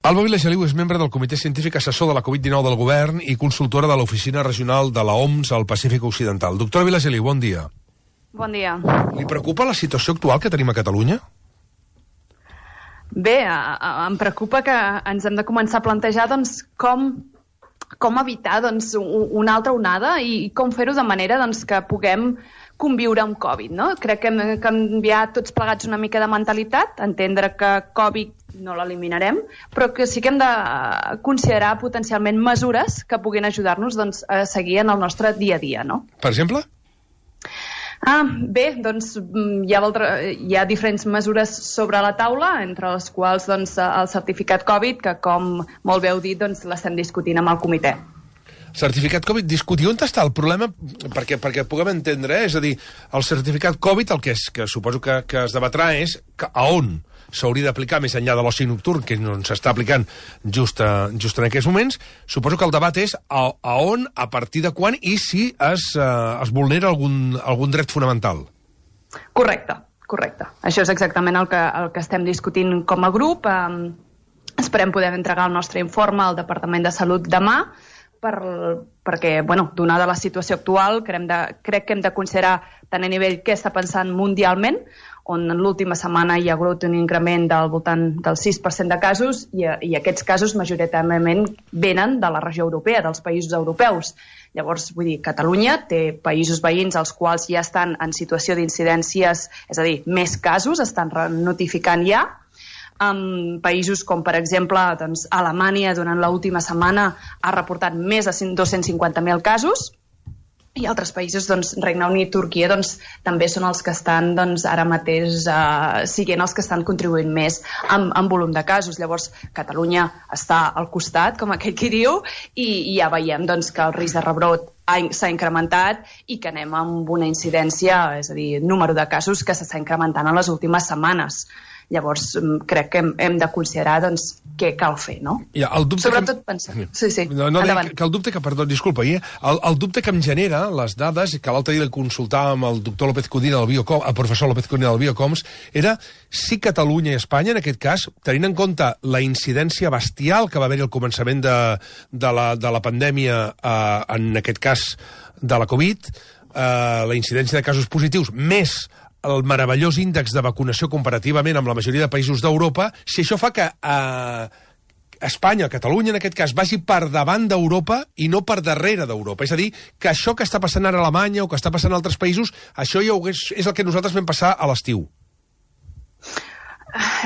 Alba Vilageliu és membre del Comitè Científic Assessor de la Covid-19 del Govern i consultora de l'Oficina Regional de la OMS al Pacífic Occidental. Doctora Vilageliu, bon dia. Bon dia. Li preocupa la situació actual que tenim a Catalunya? Bé, em preocupa que ens hem de començar a plantejar com evitar una altra onada i com fer-ho de manera que puguem conviure amb Covid, no? Crec que hem de canviar tots plegats una mica de mentalitat, entendre que Covid no l'eliminarem, però que sí que hem de considerar potencialment mesures que puguin ajudar-nos a seguir en el nostre dia a dia, no? Per exemple? Bé, hi ha diferents mesures sobre la taula, entre les quals el certificat Covid, que com molt bé heu dit, l'estem discutint amb el comitè. Certificat Covid, discutir on està el problema, perquè puguem entendre, és a dir, el certificat Covid, el que suposo que es debatrà és a on s'hauria d'aplicar més enllà de l'oci nocturn, que no s'està aplicant just en aquests moments. Suposo que el debat és a on, a partir de quan i si es vulnera algun dret fonamental. Correcte. Això és exactament el que estem discutint com a grup. Esperem poder entregar el nostre informe al Departament de Salut demà, perquè, donada la situació actual, crec que hem de considerar tant a nivell què està passant mundialment, on en l'última setmana hi ha hagut un increment del voltant del 6% de casos i aquests casos majoritàriament venen de la regió europea, dels països europeus. Llavors, vull dir, Catalunya té països veïns als quals ja estan en situació d'incidències, és a dir, més casos, estan notificant ja. Països com, per exemple, Alemanya durant l'última setmana ha reportat més de 250.000 casos i altres països, Regne Unit i Turquia, també són els que estan ara mateix siguent els que estan contribuint més en volum de casos. Llavors, Catalunya està al costat, com aquell qui diu, i ja veiem que el risc de rebrot s'ha incrementat i que anem amb una incidència, és a dir, número de casos que s'està incrementant en les últimes setmanes. Llavors, crec que hem de considerar què cal fer, no? Sobretot pensar... Sí, endavant. El dubte que em genera les dades, que l'altre dia consultàvem el doctor López Codina, el professor López Codina del Biocoms, era si Catalunya i Espanya, en aquest cas, tenint en compte la incidència bestial que va haver-hi al començament de la pandèmia, en aquest cas de la Covid, la incidència de casos positius, més el meravellós índex de vacunació comparativament amb la majoria de països d'Europa, si això fa que Espanya, Catalunya en aquest cas, vagi per davant d'Europa i no per darrere d'Europa. És a dir, que això que està passant ara a Alemanya o que està passant a altres països, això ja és el que nosaltres vam passar a l'estiu.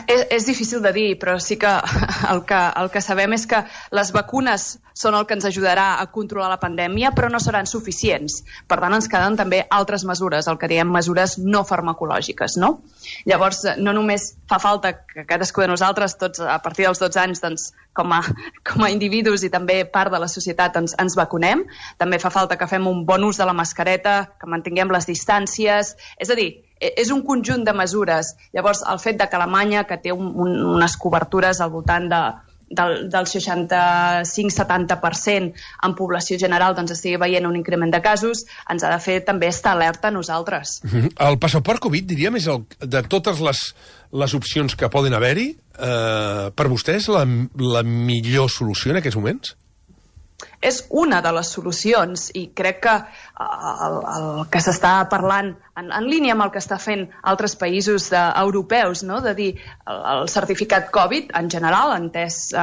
És difícil de dir, però sí que el que sabem és que les vacunes són el que ens ajudarà a controlar la pandèmia, però no seran suficients. Per tant, ens queden també altres mesures, el que diem mesures no farmacològiques, no? Llavors, no només fa falta que cadascú de nosaltres, tots a partir dels 12 anys, com a individus i també part de la societat, ens vacunem. També fa falta que fem un bon ús de la mascareta, que mantinguem les distàncies. És a dir, és un conjunt de mesures. Llavors, el fet que Alemanya, que té unes cobertures al voltant del 65-70% en població general, estigui veient un increment de casos, ens ha de fer també estar alerta a nosaltres. El passaport Covid, diríem, és de totes les opcions que poden haver-hi, per vostès la millor solució en aquests moments? És una de les solucions i crec que el que s'està parlant en línia amb el que està fent altres països europeus, no? De dir el certificat Covid en general, entès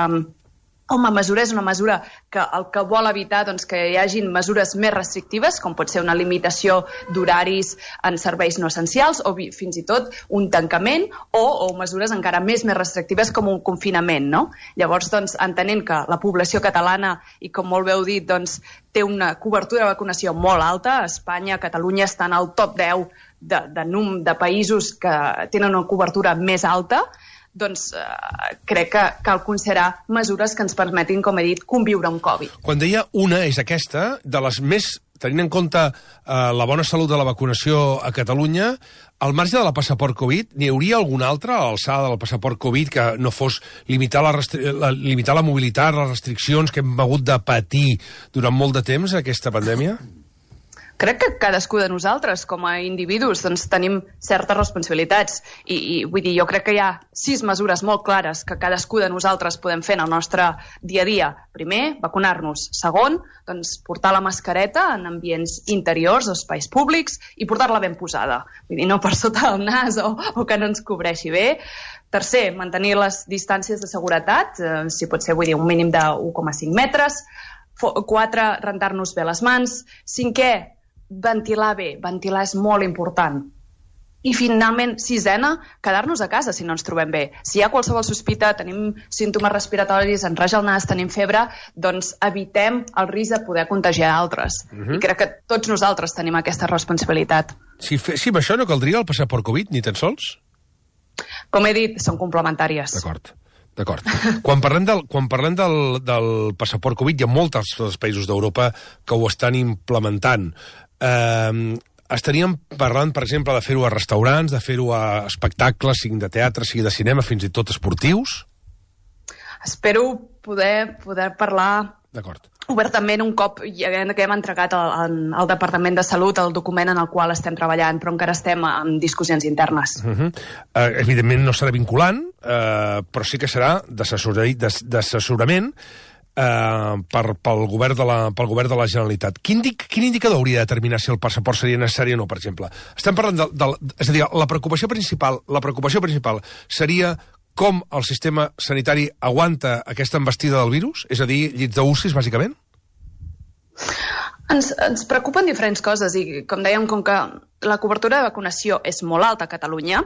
com a mesura, és una mesura que el que vol evitar que hi hagin mesures més restrictives, com pot ser una limitació d'horaris en serveis no essencials o fins i tot un tancament o mesures encara més restrictives com un confinament, no? Llavors, entenent que la població catalana, i com molt bé heu dit, té una cobertura de vacunació molt alta, Espanya, Catalunya estan al top 10 de països que tenen una cobertura més alta, crec que cal considerar mesures que ens permetin, com he dit, conviure amb Covid. Quan deia una és aquesta, de les més, tenint en compte la bona salut de la vacunació a Catalunya, al marge de la passaport Covid, n'hi hauria alguna altra a l'alçada del passaport Covid que no fos limitar la mobilitat, les restriccions que hem hagut de patir durant molt de temps aquesta pandèmia? Crec que cadascú de nosaltres, com a individus, doncs, tenim certes responsabilitats. I vull dir, jo crec que hi ha 6 mesures molt clares que cadascú de nosaltres podem fer en el nostre dia a dia. Primer, vacunar-nos. Segon, doncs, portar la mascareta en ambients interiors, espais públics, i portar-la ben posada. Vull dir, no per sota del nas o que no ens cobreixi bé. Tercer, mantenir les distàncies de seguretat, si pot ser, vull dir, un mínim de 1,5 metres. 4, rentar-nos bé les mans. 5è, ventilar bé. Ventilar és molt important. I finalment, 6è, quedar-nos a casa si no ens trobem bé. Si hi ha qualsevol sospita, tenim símptomes respiratoris, ens raja el nas, tenim febre, doncs evitem el risc de poder contagiar altres. I crec que tots nosaltres tenim aquesta responsabilitat. Si amb això no caldria el passaport Covid, ni tan sols? Com he dit, són complementàries. D'acord. Quan parlem del passaport Covid, hi ha molts altres països d'Europa que ho estan implementant. Estaríem parlant, per exemple, de fer-ho a restaurants, de fer-ho a espectacles, sigui de teatre, sigui de cinema, fins i tot esportius? Espero poder parlar obertament un cop que hem entregat al Departament de Salut el document en el qual estem treballant, però encara estem en discussions internes. Evidentment no serà vinculant, però sí que serà d'assessorament pel govern de la Generalitat. Quin indicador hauria de determinar si el passaport seria necessari o no, per exemple? Estem parlant és a dir, la preocupació principal seria com el sistema sanitari aguanta aquesta embestida del virus? És a dir, llits d'UCIs, bàsicament? Ens preocupen diferents coses i, com dèiem, com que la cobertura de vacunació és molt alta a Catalunya,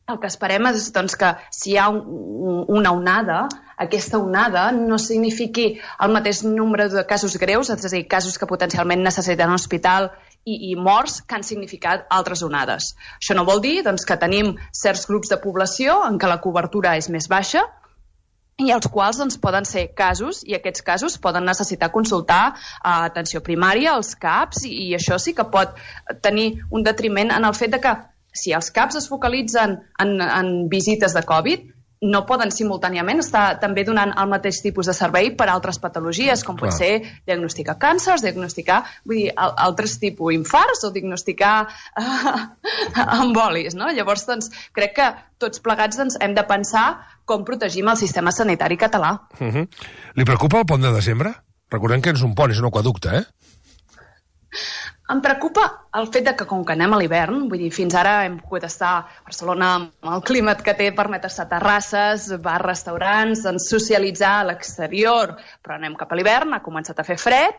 el que esperem és doncs, que si hi ha una onada, aquesta onada no signifiqui el mateix nombre de casos greus, és a dir, casos que potencialment necessiten un hospital i morts que han significat altres onades. Això no vol dir doncs, que tenim certs grups de població en què la cobertura és més baixa i els quals doncs, poden ser casos, i aquests casos poden necessitar consultar atenció primària, els CAPs, i això sí que pot tenir un detriment en el fet de que si els CAPs es focalitzen en visites de Covid, no poden simultàniament estar també donant el mateix tipus de servei per a altres patologies, com pot ser diagnosticar càncers, diagnosticar altres tipus infarts o diagnosticar embolis. No? Llavors, doncs, crec que tots plegats hem de pensar com protegim el sistema sanitari català. Li preocupa el pont de desembre? Recordem que és un pont, és un aqüeducte, Em preocupa el fet que, com que anem a l'hivern, vull dir, fins ara hem pogut estar a Barcelona amb el clima que té, permet estar a terrasses, bars, restaurants, socialitzar a l'exterior, però anem cap a l'hivern, ha començat a fer fred,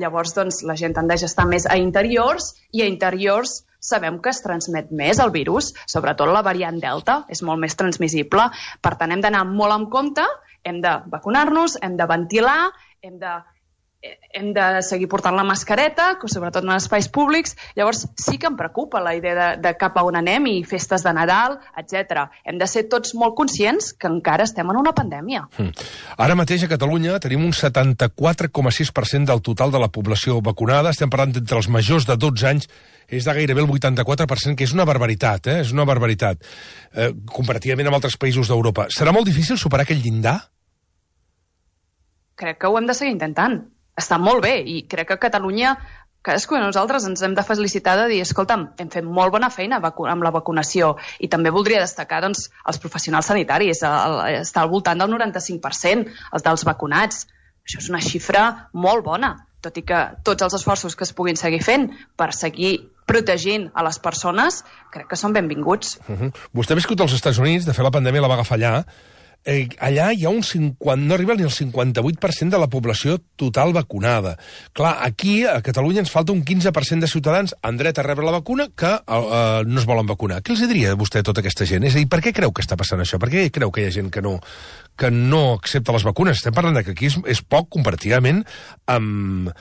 llavors doncs, la gent tendeix a estar més a interiors, i a interiors sabem que es transmet més el virus, sobretot la variant Delta, és molt més transmissible, per tant hem d'anar molt en compte, hem de vacunar-nos, hem de ventilar, hem de seguir portant la mascareta, sobretot en espais públics. Llavors sí que em preocupa la idea de cap a on anem i festes de Nadal, etc. Hem de ser tots molt conscients que encara estem en una pandèmia. Ara mateix a Catalunya tenim un 74,6% del total de la població vacunada. Estem parlant entre els majors de 12 anys, és de gairebé el 84%, que és una barbaritat, és una barbaritat, comparativament amb altres països d'Europa. Serà molt difícil superar aquell llindar? Crec que ho hem de seguir intentant. Està molt bé, i crec que a Catalunya cadascú de nosaltres ens hem de felicitar de dir, escolta'm, hem fet molt bona feina amb la vacunació, i també voldria destacar doncs, els professionals sanitaris, està al voltant del 95%, els dels vacunats. Això és una xifra molt bona, tot i que tots els esforços que es puguin seguir fent per seguir protegint a les persones, crec que són benvinguts. Vostè ha viscut als Estats Units, de fet la pandèmia la va agafar allà. Allà hi ha no arriba ni el 58% de la població total vacunada. Clar, aquí, a Catalunya, ens falta un 15% de ciutadans en dret a rebre la vacuna que no es volen vacunar. Què els diria vostè a tota aquesta gent? És a dir, per què creu que està passant això? Per què creu que hi ha gent que no accepta les vacunes? Estem parlant que aquí és poc comparativament amb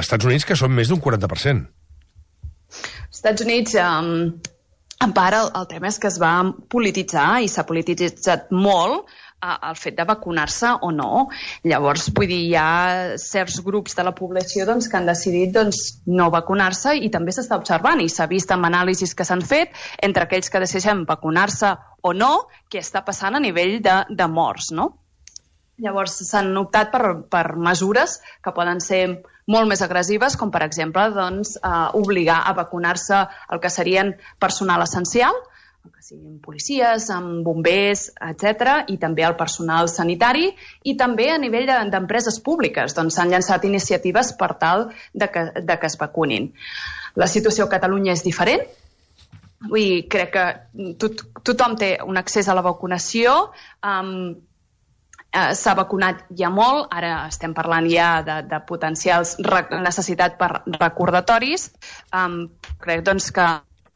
Estats Units, que són més d'un 40%. Estats Units... En part, el tema és que es va polititzar i s'ha polititzat molt el fet de vacunar-se o no. Llavors, vull dir, hi ha certs grups de la població doncs, que han decidit no vacunar-se, i també s'està observant, i s'ha vist amb anàlisis que s'han fet entre aquells que decideixen vacunar-se o no, què està passant a nivell de morts, no? Llavors s'han optat per mesures que poden ser molt més agressives, com per exemple doncs, obligar a vacunar-se el que serien personal essencial, que siguin policies, bombers, etc., i també el personal sanitari, i també a nivell d'empreses públiques. Doncs s'han llançat iniciatives per tal de que es vacunin. La situació a Catalunya és diferent. Crec que tothom té un accés a la vacunació, s'ha vacunat ja molt, ara estem parlant ja de potencials necessitat per recordatoris. Crec doncs que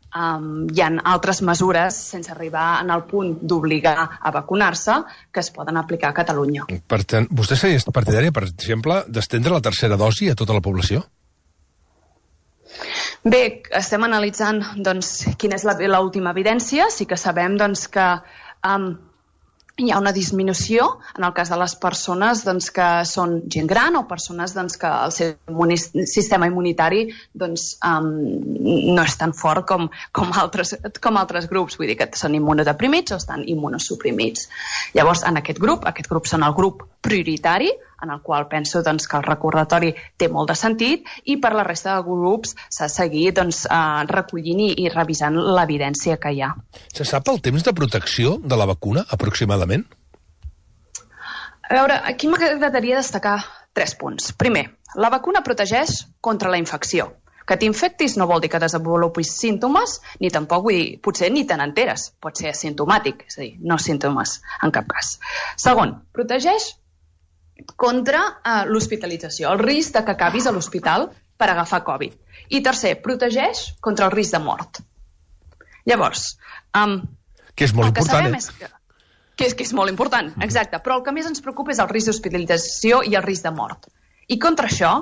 hi ha altres mesures, sense arribar en el punt d'obligar a vacunar-se, que es poden aplicar a Catalunya. Per tant, vostè seria partidària, per exemple, d'estendre la tercera dosi a tota la població? Bé, estem analitzant doncs, quina és l'última evidència. Sí que sabem doncs, que hi ha una disminució en el cas de les persones doncs, que són gent gran o persones doncs, que el seu sistema immunitari doncs, no és tan fort com altres grups, vull dir que són immunodeprimits o estan immunosuprimits. Llavors, en aquest grup són el grup prioritari, en el qual penso doncs, que el recordatori té molt de sentit, i per la resta de grups s'ha de seguir doncs, recollint i revisant l'evidència que hi ha. Se sap el temps de protecció de la vacuna, aproximadament? A veure, aquí m'agradaria destacar 3 punts. Primer, la vacuna protegeix contra la infecció. Que t'infectis no vol dir que desenvolupis símptomes, ni tampoc, vull dir, potser ni te n'enteres. Pot ser asimptomàtic, és a dir, no símptomes en cap cas. Segon, protegeix contra l'hospitalització, el risc de que acabis a l'hospital per agafar Covid. I tercer, protegeix contra el risc de mort. Llavors... que és molt important, que és molt important, exacte. Però el que més ens preocupa és el risc d'hospitalització i el risc de mort. I contra això,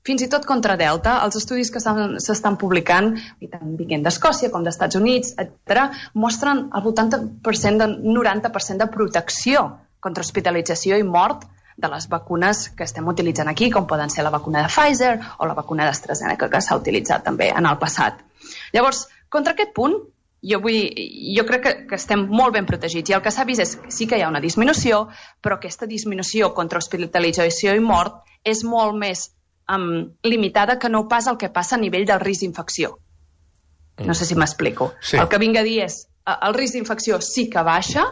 fins i tot contra Delta, els estudis que s'estan publicant, tant vinguent d'Escòcia com d'Estats Units, etc., mostren al voltant del 90% de protecció contra hospitalització i mort de les vacunes que estem utilitzant aquí, com poden ser la vacuna de Pfizer o la vacuna d'AstraZeneca, que s'ha utilitzat també en el passat. Llavors, contra aquest punt, jo crec que estem molt ben protegits, i el que s'ha vist és que sí que hi ha una disminució, però aquesta disminució contra hospitalització i mort és molt més limitada que no pas el que passa a nivell del risc d'infecció. No sé si m'explico. Sí. El que vinc a dir és el risc d'infecció sí que baixa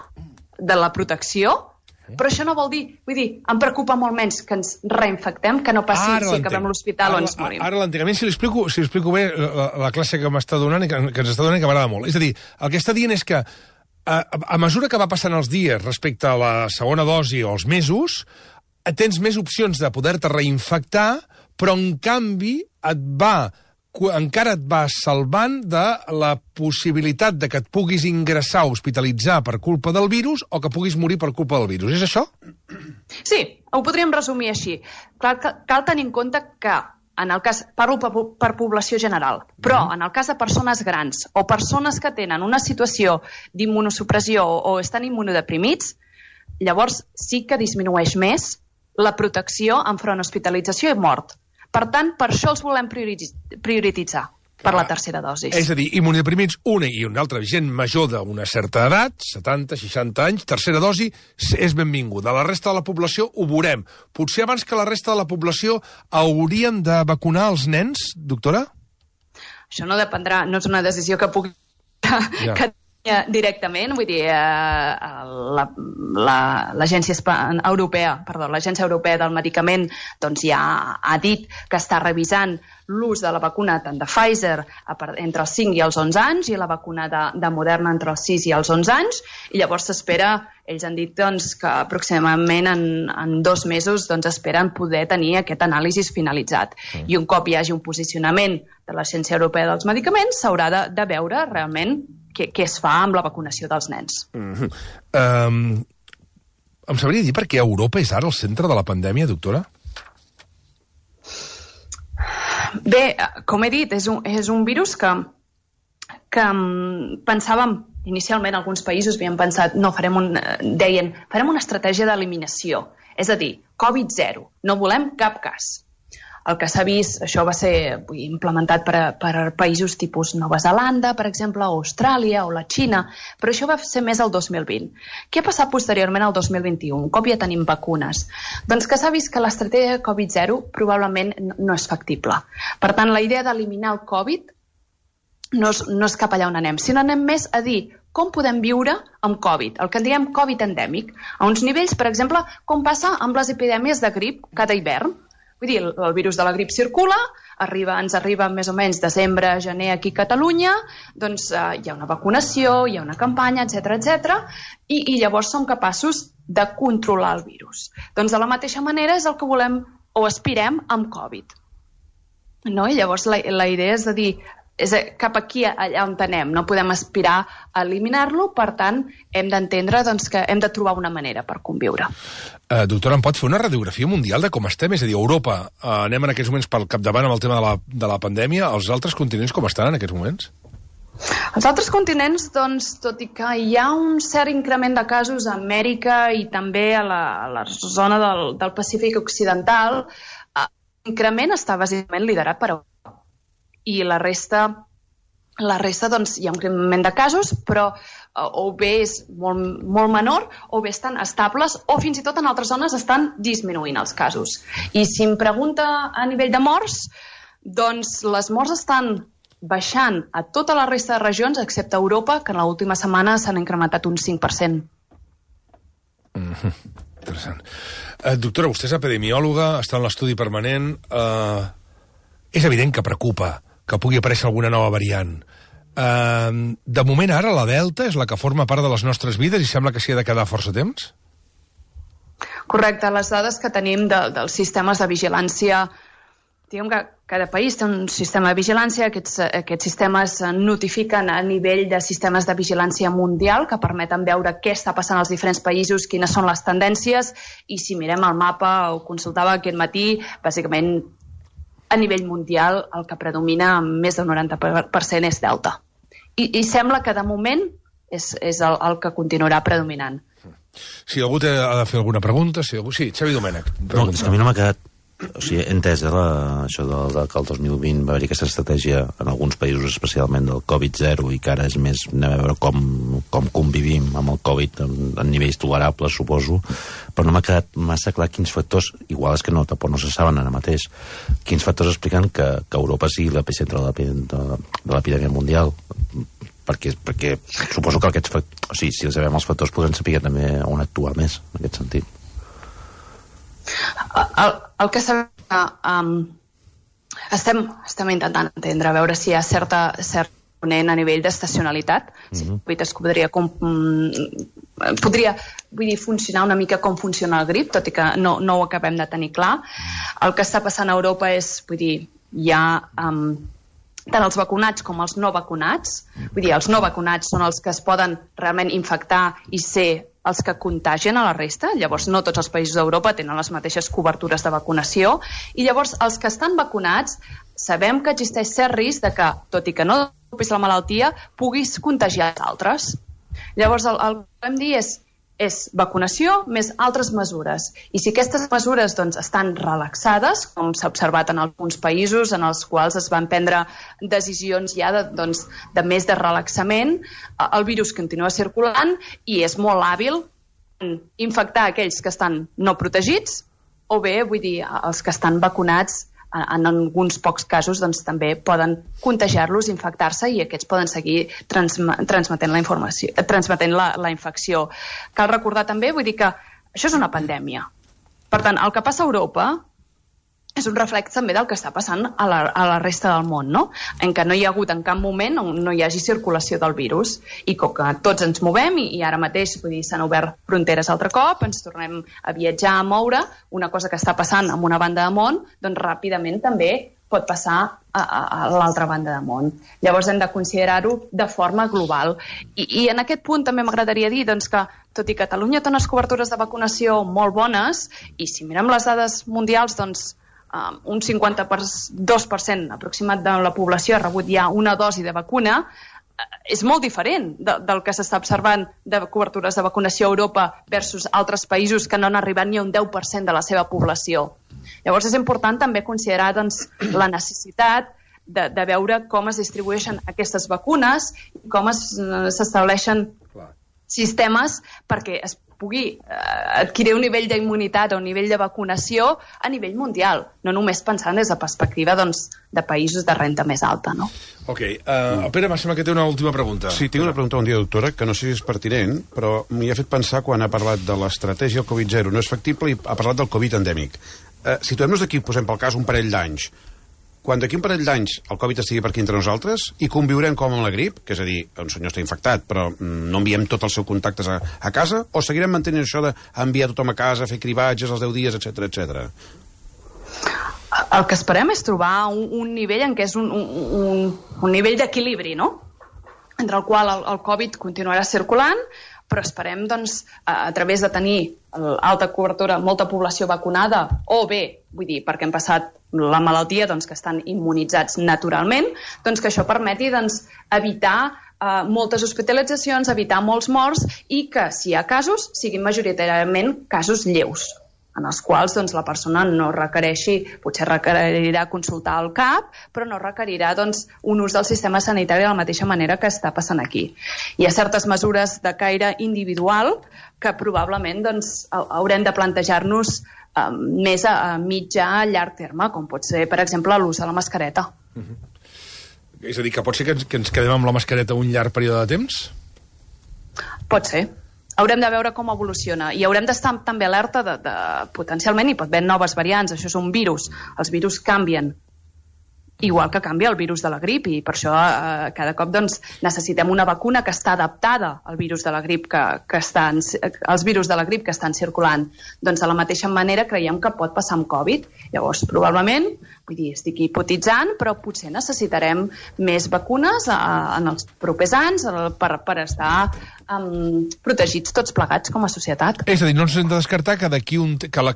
de la protecció, però això no vol dir, em preocupa molt menys que ens reinfectem, que no passi si acabem a l'hospital o ens morim. Ara l'entenc. A mi, si li explico bé la classe que m'està donant i que ens està donant i que m'agrada molt. És a dir, el que està dient és que a mesura que va passant els dies respecte a la segona dosi o els mesos, tens més opcions de poder-te reinfectar, però en canvi encara et va salvant de la possibilitat de que et puguis ingressar o hospitalitzar per culpa del virus o que puguis morir per culpa del virus. És això? Sí, ho podríem resumir així. Cal tenir en compte que, en el cas, parlo per població general, però en el cas de persones grans o persones que tenen una situació d'immunosupressió o estan immunodeprimits, llavors sí que disminueix més la protecció enfront hospitalització i mort. Per tant, per això els volem prioritzar per la tercera dosi. És a dir, immunodeprimits, una i una altra gent major d'una certa edat, 70, 60 anys, tercera dosi, és benvinguda. La resta de la població ho veurem. Potser abans que la resta de la població hauríem de vacunar els nens, doctora? Això no dependrà, no és una decisió que pugui... directament, vull dir, l'Agència Europea del Medicament doncs ja ha dit que està revisant l'ús de la vacuna tant de Pfizer entre els 5 i els 11 anys i la vacuna de Moderna entre els 6 i els 11 anys, i llavors s'espera, ells han dit doncs, que aproximadament en 2 mesos doncs, esperen poder tenir aquest anàlisi finalitzat. I un cop hi hagi un posicionament de l'Agència Europea dels Medicaments, s'haurà de veure realment què es fa amb la vacunació dels nens. Em sabria dir per què Europa és ara el centre de la pandèmia, doctora? Bé, com he dit, és un virus que pensàvem, inicialment alguns països havien pensat, deien, farem una estratègia d'eliminació, és a dir, Covid-0, no volem cap cas. el que s'ha vist, això va ser implementat per països tipus Nova Zelanda, per exemple, o Austràlia o la Xina, però això va ser més el 2020. Què ha passat posteriorment al 2021, un cop ja tenim vacunes? Doncs que s'ha vist que l'estratègia Covid-0 probablement no és factible. Per tant, la idea d'eliminar el Covid no és cap allà on anem, sinó anem més a dir com podem viure amb Covid, el que en diem Covid endèmic, a uns nivells, per exemple, com passa amb les epidèmies de grip cada hivern. Vull dir, el virus de la grip circula, ens arriba més o menys desembre, gener aquí a Catalunya, doncs hi ha una vacunació, hi ha una campanya, etc, i llavors som capaços de controlar el virus. Doncs de la mateixa manera és el que volem o aspirem amb Covid. No? I llavors la idea és de dir, és cap aquí allà on anem, no podem aspirar a eliminar-lo, per tant, hem d'entendre que hem de trobar una manera per conviure. Doctora, em pot fer una radiografia mundial de com estem? És a dir, Europa, anem en aquests moments pel capdavant amb el tema de la pandèmia, els altres continents com estan en aquests moments? Els altres continents, doncs, tot i que hi ha un cert increment de casos a Amèrica i també a la zona del Pacífic Occidental, l'increment està bàsicament liderat per Europa. I la resta doncs, hi ha un increment de casos, però o bé és molt menor, o bé estan estables, o fins i tot en altres zones estan disminuint els casos. I si em pregunta a nivell de morts, doncs les morts estan baixant a tota la resta de regions, excepte Europa, que en l'última setmana s'han incrementat un 5%. Interessant. Doctora, vostè és epidemiòloga, està en l'estudi permanent. És evident que preocupa que pugui aparèixer alguna nova variant. De moment ara la Delta és la que forma part de les nostres vides i sembla que s'hi ha de quedar força temps? Correcte. Les dades que tenim dels sistemes de vigilància, diguem que cada país té un sistema de vigilància, aquests sistemes notifiquen a nivell de sistemes de vigilància mundial que permeten veure què està passant als diferents països, quines són les tendències, i si mirem el mapa, ho consultava aquest matí, bàsicament a nivell mundial el que predomina amb més del 90% és Delta. I sembla que de moment és el que continuarà predominant. Si algú ha de fer alguna pregunta, sí, Xavi Domènech. No, és que a mi no m'ha quedat... O sigui, he entès això que el 2020 va haver-hi aquesta estratègia en alguns països, especialment del Covid-0, i que ara és més anem a veure com convivim amb el Covid en nivells tolerables, suposo, però no m'ha quedat massa clar quins factors, igual és que tampoc no se saben ara mateix, quins factors expliquen que Europa sigui l'epicentre de l'epidèmia mundial, perquè suposo que aquests factors, o sigui, si sabem els factors podem saber també on actuar més, en aquest sentit. El que sabem estem intentant entendre, a veure si hi ha cert component a nivell d'estacionalitat. Si es podria funcionar una mica com funciona el grip, tot i que no ho acabem de tenir clar. El que està passant a Europa és, hi ha tant els vacunats com els no vacunats. Vull dir, els no vacunats són els que es poden realment infectar i ser els que contagien a la resta. Llavors, no tots els països d'Europa tenen les mateixes cobertures de vacunació. I llavors, els que estan vacunats, sabem que existeix cert risc de que, tot i que no desenvolupis la malaltia, puguis contagiar altres. Llavors, el que podem dir és vacunació més altres mesures. I si aquestes mesures estan relaxades, com s'ha observat en alguns països en els quals es van prendre decisions ja de més de relaxament, el virus continua circulant i és molt hàbil en infectar aquells que estan no protegits o bé, els que estan vacunats en alguns pocs casos també poden contagiar-los, infectar-se i aquests poden seguir transmetent la infecció. Cal recordar també, que això és una pandèmia. Per tant, el que passa a Europa és un reflex també del que està passant a la resta del món, no? En què no hi ha hagut en cap moment on no hi hagi circulació del virus. I com que tots ens movem i ara mateix s'han obert fronteres altre cop, ens tornem a viatjar, a moure, una cosa que està passant en una banda de món, ràpidament també pot passar a l'altra banda de món. Llavors hem de considerar-ho de forma global. I en aquest punt també m'agradaria dir que, tot i que Catalunya té unes cobertures de vacunació molt bones, i si mirem les dades mundials, un 52% aproximat de la població ha rebut ja una dosi de vacuna, és molt diferent del que s'està observant de cobertures de vacunació a Europa versus altres països que no han arribat ni a un 10% de la seva població. Llavors és important també considerar doncs, la necessitat de veure com es distribueixen aquestes vacunes i com s'estableixen sistemes perquè es pugui adquirir un nivell d'immunitat o un nivell de vacunació a nivell mundial, no només pensant des de perspectiva de països de renda més alta, no? Ok. Pere, em sembla que té una última pregunta. Sí, tinc una pregunta bon dia, doctora, que no sé si és pertinent, però m'hi ha fet pensar quan ha parlat de l'estratègia del Covid-0 no és factible i ha parlat del Covid endèmic. Situem-nos d'aquí, posem pel cas un parell d'anys. Quan d'aquí un parell d'anys el Covid estigui per aquí entre nosaltres i conviurem com amb la grip, que és a dir, un senyor està infectat però no enviem tots els seus contactes a casa, o seguirem mantenint això d'enviar tothom a casa, fer cribatges als 10 dies, etc. El que esperem és trobar un nivell en què és un nivell d'equilibri, no? Entre el qual el Covid continuarà circulant, però esperem, doncs, a través de tenir alta cobertura, molta població vacunada, o bé, vull dir, perquè hem passat la malaltia, doncs, que estan immunitzats naturalment, doncs que això permeti doncs, evitar moltes hospitalitzacions, evitar molts morts i que, si hi ha casos, siguin majoritàriament casos lleus, en els quals doncs, la persona no requereixi, potser requerirà consultar el CAP, però no requerirà doncs, un ús del sistema sanitari de la mateixa manera que està passant aquí. Hi ha certes mesures de caire individual que probablement doncs, haurem de plantejar-nos més a mitjà, a llarg terme, com pot ser, per exemple, l'ús de la mascareta. És a dir, que pot ser que ens quedem amb la mascareta un llarg període de temps? Pot ser. Haurem de veure com evoluciona i haurem d'estar també alerta de potencialment hi pot haver noves variants, això és un virus, els virus canvien igual que canvia el virus de la grip i per això cada cop doncs, necessitem una vacuna que està adaptada al virus de la grip als virus de la grip que estan circulant. Doncs de la mateixa manera creiem que pot passar amb Covid. Llavors, probablement, vull dir, estic hipotitzant, però potser necessitarem més vacunes en els propers anys per estar protegits tots plegats com a societat. És a dir, no ens hem de descartar que d'aquí que la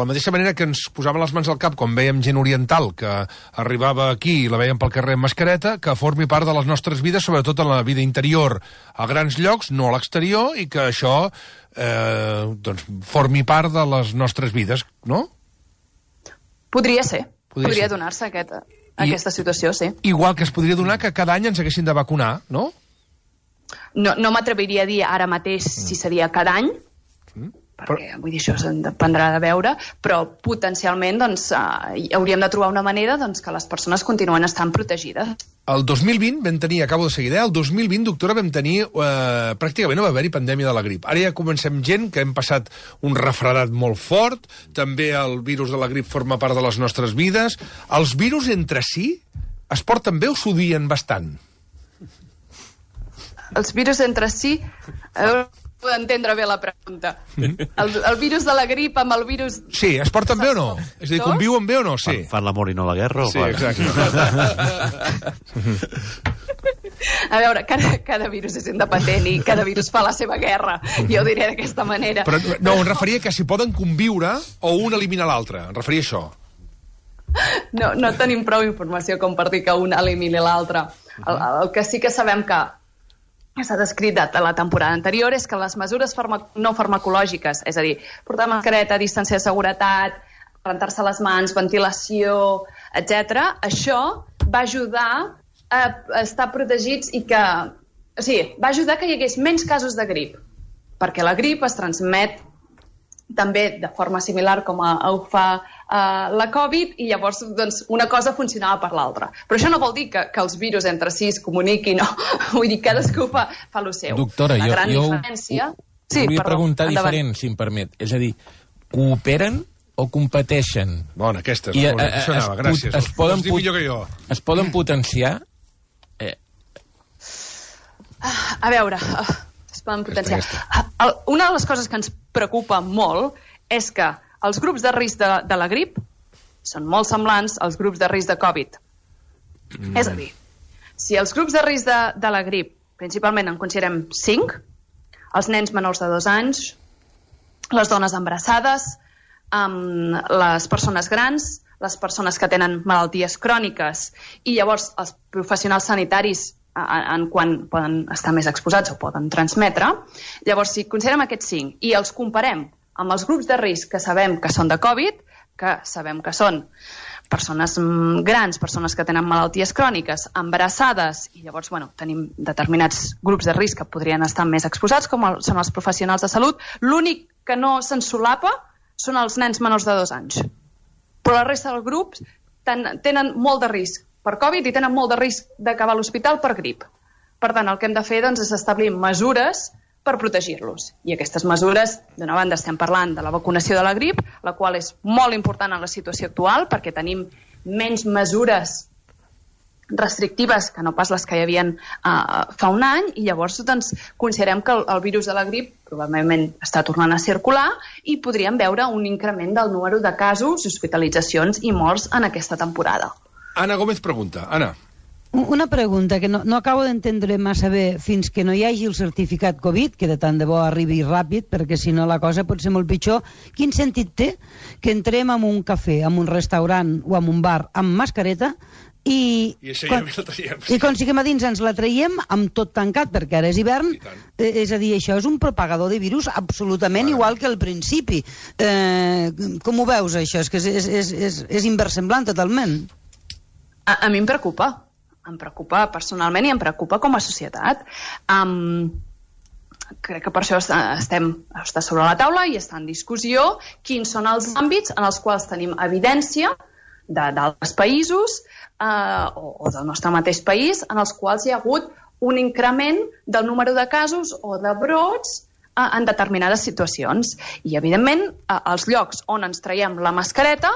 mateixa manera que ens posàvem les mans al cap quan veiem gent oriental que arribava aquí i la veiem pel carrer amb mascareta, que formi part de les nostres vides, sobretot en la vida interior, a grans llocs, no a l'exterior, i que això doncs, formi part de les nostres vides, no? Podria ser. Podria donar-se aquesta situació, sí. Igual que es podria donar que cada any ens haguessin de vacunar, no? No m'atreviria a dir ara mateix si seria cada any, perquè vull dir, això dependrà de veure, però potencialment doncs, hauríem de trobar una manera doncs, que les persones continuen estant protegides. El 2020 vam tenir, acabo de seguir, el 2020, doctora, vam tenir pràcticament no va haver-hi pandèmia de la grip. Ara ja comencem gent que hem passat un refredat molt fort, també el virus de la grip forma part de les nostres vides. Els virus entre si es porten bé o s'odien bastant? Els virus entre si... Puc entendre bé la pregunta. El virus de la grip amb el virus... Sí, es porten bé o no? És a dir, conviuen bé o no? Sí. Fan l'amor i no la guerra? Sí, exacte. A veure, cada virus és independent i cada virus fa la seva guerra. Jo ho diré d'aquesta manera. Però no, em referia que si poden conviure o un elimina l'altre. Em referia a això. No tenim prou informació com per dir que un elimini l'altre. El que sí que sabem que s'ha descrit a la temporada anterior és que les mesures no farmacològiques, és a dir, portar mascareta, distància de seguretat, rentar-se les mans, ventilació, etc., això va ajudar a estar protegits i que... O sigui, va ajudar que hi hagués menys casos de grip, perquè la grip es transmet també de forma similar com ho fa la Covid, i llavors doncs, una cosa funcionava per l'altra. Però això no vol dir que els virus entre si es comuniquin, no. Vull dir, cadascú fa el seu. Doctora, jo volia preguntar endavant. diferent, si em permet. És a dir, cooperen o competeixen? Bona, aquesta és la bona. Això anava, gràcies. Es poden potenciar? A veure... es poden potenciar. Una de les coses que ens preocupa molt és que els grups de risc de la grip són molt semblants als grups de risc de Covid. És a dir, si els grups de risc de la grip principalment en considerem 5, els nens menors de 2 anys, les dones embarassades, les persones grans, les persones que tenen malalties cròniques i llavors els professionals sanitaris en quan poden estar més exposats o poden transmetre. Llavors, si considerem aquests 5 i els comparem amb els grups de risc que sabem que són de Covid, que sabem que són persones grans, persones que tenen malalties cròniques, embarassades, i llavors tenim determinats grups de risc que podrien estar més exposats, com són els professionals de salut. L'únic que no se'n solapa són els nens menors de 2 anys. Però la resta dels grups tenen molt de risc per Covid i tenen molt de risc d'acabar a l'hospital per grip. Per tant, el que hem de fer és establir mesures per protegir-los. I aquestes mesures, d'una banda, estem parlant de la vacunació de la grip, la qual és molt important en la situació actual, perquè tenim menys mesures restrictives que no pas les que hi havia fa un any, i llavors considerem que el virus de la grip probablement està tornant a circular i podríem veure un increment del número de casos, hospitalitzacions i morts en aquesta temporada. Ana Gómez pregunta. Ana. Una pregunta que no acabo d'entendre massa bé. Fins que no hi hagi el certificat Covid, que de tant de bo arribi ràpid, perquè si no la cosa pot ser molt pitjor, quin sentit té que entrem en un cafè, en un restaurant o en un bar amb mascareta i quan siguem a dins ens la traiem amb tot tancat, perquè ara és hivern? És a dir, això és un propagador de virus absolutament igual que al principi. Com ho veus, això? És que és inversemblant totalment. A mi em preocupa. Em preocupa personalment i em preocupa com a societat. Crec que per això està sobre la taula i està en discussió quins són els àmbits en els quals tenim evidència d'altres països o del nostre mateix país en els quals hi ha hagut un increment del número de casos o de brots en determinades situacions. I, evidentment, els llocs on ens traiem la mascareta,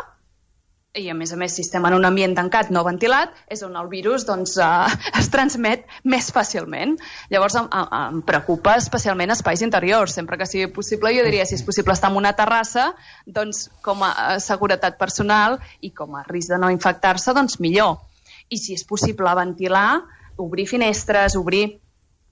i a més si estem en un ambient tancat no ventilat, és on el virus es transmet més fàcilment. Llavors em preocupa especialment espais interiors. Sempre que sigui possible, jo diria, si és possible estar en una terrassa, doncs com a seguretat personal i com a risc de no infectar-se, doncs millor. I si és possible ventilar, obrir finestres,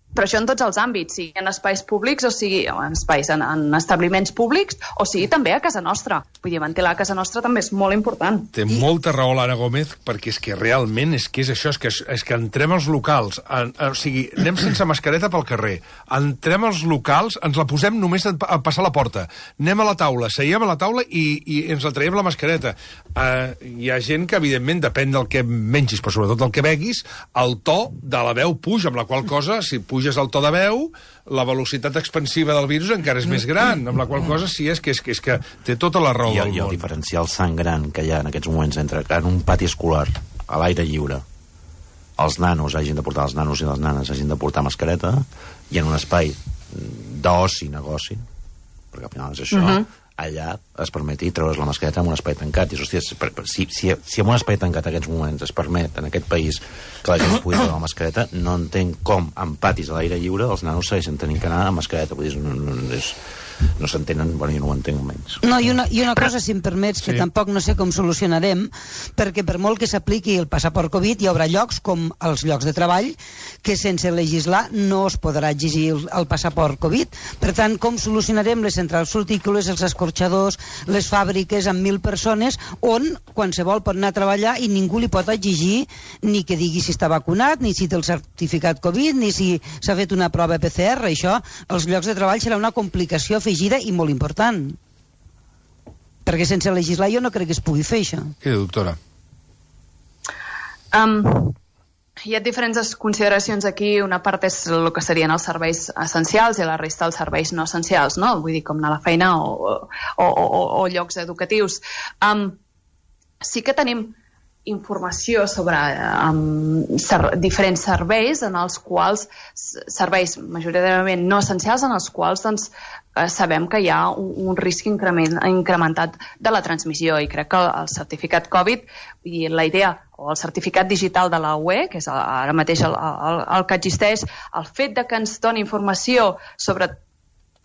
però això en tots els àmbits, sigui en espais públics o sigui en espais, en establiments públics, o sigui també a casa nostra. Vull dir, ventilar a casa nostra també és molt important. Té molta raó l'Anna Gómez, perquè és que realment és això, és que entrem als locals, o sigui, anem sense mascareta pel carrer, entrem als locals, ens la posem només a passar la porta, anem a la taula, seiem a la taula i ens la traiem la mascareta. Hi ha gent que, evidentment, depèn del que mengis, però sobretot del que beguis, el to de la veu puja, amb la qual cosa, si puges el to de veu, la velocitat expansiva del virus encara és més gran, amb la qual cosa sí és que té tota la raó del món. I el diferencial tan gran que hi ha en aquests moments entre en un pati escolar, a l'aire lliure, els nanos hagin de portar, els nanos i les nanes hagin de portar mascareta, i en un espai d'oci, negoci, perquè al final és això, allà es permeti treure's la mascareta en un espai tancat. I, hòstia, si en un espai tancat en aquests moments es permet, en aquest país, que la gent pugui treure la mascareta, no entenc com en patis a l'aire lliure els nanos segueixen tenint que anar amb mascareta. Vull dir, no s'entenen, bueno, jo no ho entenc menys. No, i una cosa, si em permets, que tampoc no sé com solucionarem, perquè per molt que s'apliqui el passaport Covid, hi haurà llocs, com els llocs de treball, que sense legislar no es podrà exigir el passaport Covid. Per tant, com solucionarem les centrals fructícoles, els escorxadors, les fàbriques amb 1.000 persones, on qualsevol pot anar a treballar i ningú li pot exigir ni que digui si està vacunat, ni si té el certificat Covid, ni si s'ha fet una prova PCR. Això, als llocs de treball serà una complicació afegida i molt important, perquè sense legislar jo no crec que es pugui fer això. Què diu, doctora? Hi ha diferents consideracions aquí. Una part és el que serien els serveis essencials i la resta els serveis no essencials, no? Vull dir, com anar a la feina o llocs educatius. Sí que tenim informació sobre diferents serveis en els quals, serveis majoritàriament no essencials, en els quals sabem que hi ha un risc incrementat de la transmissió, i crec que el certificat Covid i la idea, o el certificat digital de la UE, que és ara mateix el que existeix, el fet de que ens doni informació sobre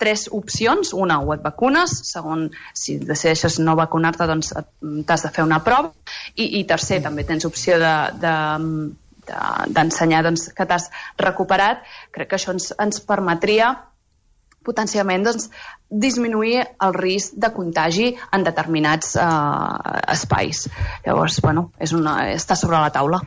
3 opcions. Una, o et vacunes, segon, si decideixes no vacunar-te, doncs t'has de fer una prova, i tercer, també tens opció d'ensenyar que t'has recuperat. Crec que això ens permetria potencialment doncs, disminuir el risc de contagi en determinats espais. Llavors, bueno, està sobre la taula.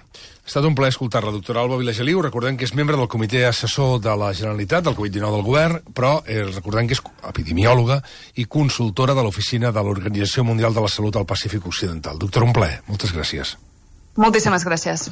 Ha estat un plaer escoltar la doctora Alba Vilageliu. Recordem que és membre del comitè assessor de la Generalitat, del Covid-19 del Govern, però recordem que és epidemiòloga i consultora de l'Oficina de l'Organització Mundial de la Salut al Pacífic Occidental. Doctora, un plaer. Moltes gràcies. Moltíssimes gràcies.